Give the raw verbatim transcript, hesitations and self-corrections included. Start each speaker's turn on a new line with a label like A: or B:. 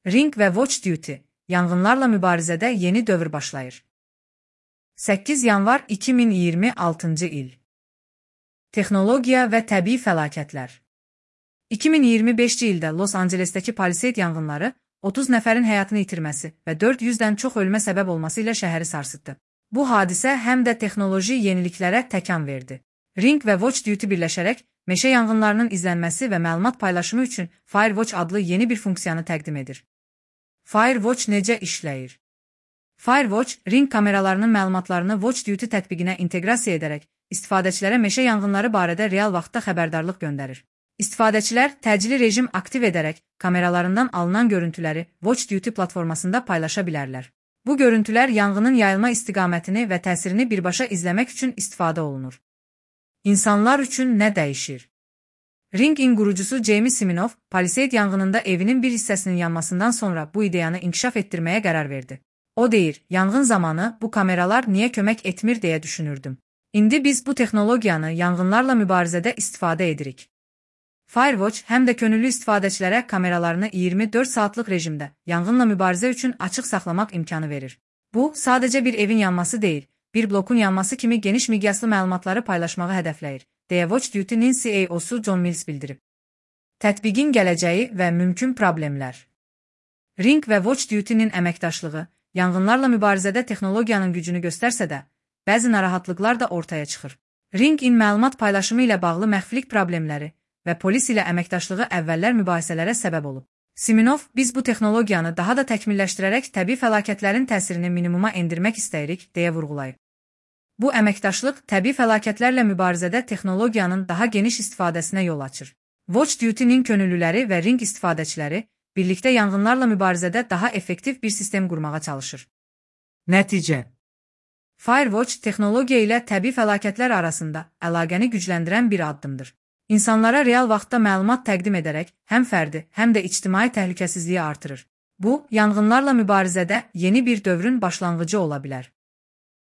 A: Ring və Watch Duty, yanğınlarla mübarizədə yeni dövr başlayır. səkkiz yanvar iki min iyirmi altıncı il. Texnologiya və təbii fəlakətlər. iki min iyirmi beşinci ildə Los Ancelesdəki Palisade yanğınları otuz nəfərin həyatını itirməsi və dörd yüzdən çox ölmə səbəb olması ilə şəhəri sarsıtdı. Bu hadisə həm də texnoloji yeniliklərə təkan verdi. Ring və Watch Duty birləşərək meşə yanğınlarının izlənməsi və məlumat paylaşımı üçün Firewatch adlı yeni bir funksiyanı təqdim edir. Firewatch necə işləyir? Firewatch, Ring kameralarının məlumatlarını Watch Duty tətbiqinə inteqrasiya edərək istifadəçilərə meşə yanğınları barədə real vaxtda xəbərdarlıq göndərir. İstifadəçilər təcili rejim aktiv edərək kameralarından alınan görüntüləri Watch Duty platformasında paylaşa bilərlər. Bu görüntülər yanğının yayılma istiqamətini və təsirini birbaşa izləmək üçün istifadə olunur. İnsanlar üçün nə dəyişir? Ring-in qurucusu Jamie Siminoff, Palisade yanğınında evinin bir hissəsinin yanmasından sonra bu ideyanı inkişaf etdirməyə qərar verdi. O deyir, yanğın zamanı bu kameralar niyə kömək etmir deyə düşünürdüm. İndi biz bu texnologiyanı yanğınlarla mübarizədə istifadə edirik. Firewatch həm də könüllü istifadəçilərə kameralarını iyirmi dörd saatlıq rejimdə yanğınla mübarizə üçün açıq saxlamaq imkanı verir. Bu, sadəcə bir evin yanması deyil, bir blokun yanması kimi geniş miqyaslı məlumatları paylaşmağı hədəfləyir, deyə Watch Duty-nin C E O-su John Mills bildirib. Tətbiqin gələcəyi və mümkün problemlər. Ring və Watch Duty-nin əməkdaşlığı, yanğınlarla mübarizədə texnologiyanın gücünü göstərsə də, bəzi narahatlıqlar da ortaya çıxır. Ring-in məlumat paylaşımı ilə bağlı məxfilik problemləri və polis ilə əməkdaşlığı əvvəllər mübahisələrə səbəb olub. Siminoff, biz bu texnologiyanı daha da təkmilləşdirərək təbii fəlakətlərin təsirini minimuma endirmək istəyirik, deyə vurğulayıb. Bu əməkdaşlıq təbii fəlakətlərlə mübarizədə texnologiyanın daha geniş istifadəsinə yol açır. Watch Duty-nin könüllüləri və Ring istifadəçiləri birlikdə yanğınlarla mübarizədə daha effektiv bir sistem qurmağa çalışır.
B: Nəticə.
A: Firewatch texnologiya ilə təbii fəlakətlər arasında əlaqəni gücləndirən bir addımdır. İnsanlara real vaxtda məlumat təqdim edərək həm fərdi, həm də ictimai təhlükəsizliyi artırır. Bu, yanğınlarla mübarizədə yeni bir dövrün başlanğıcı ola bilər.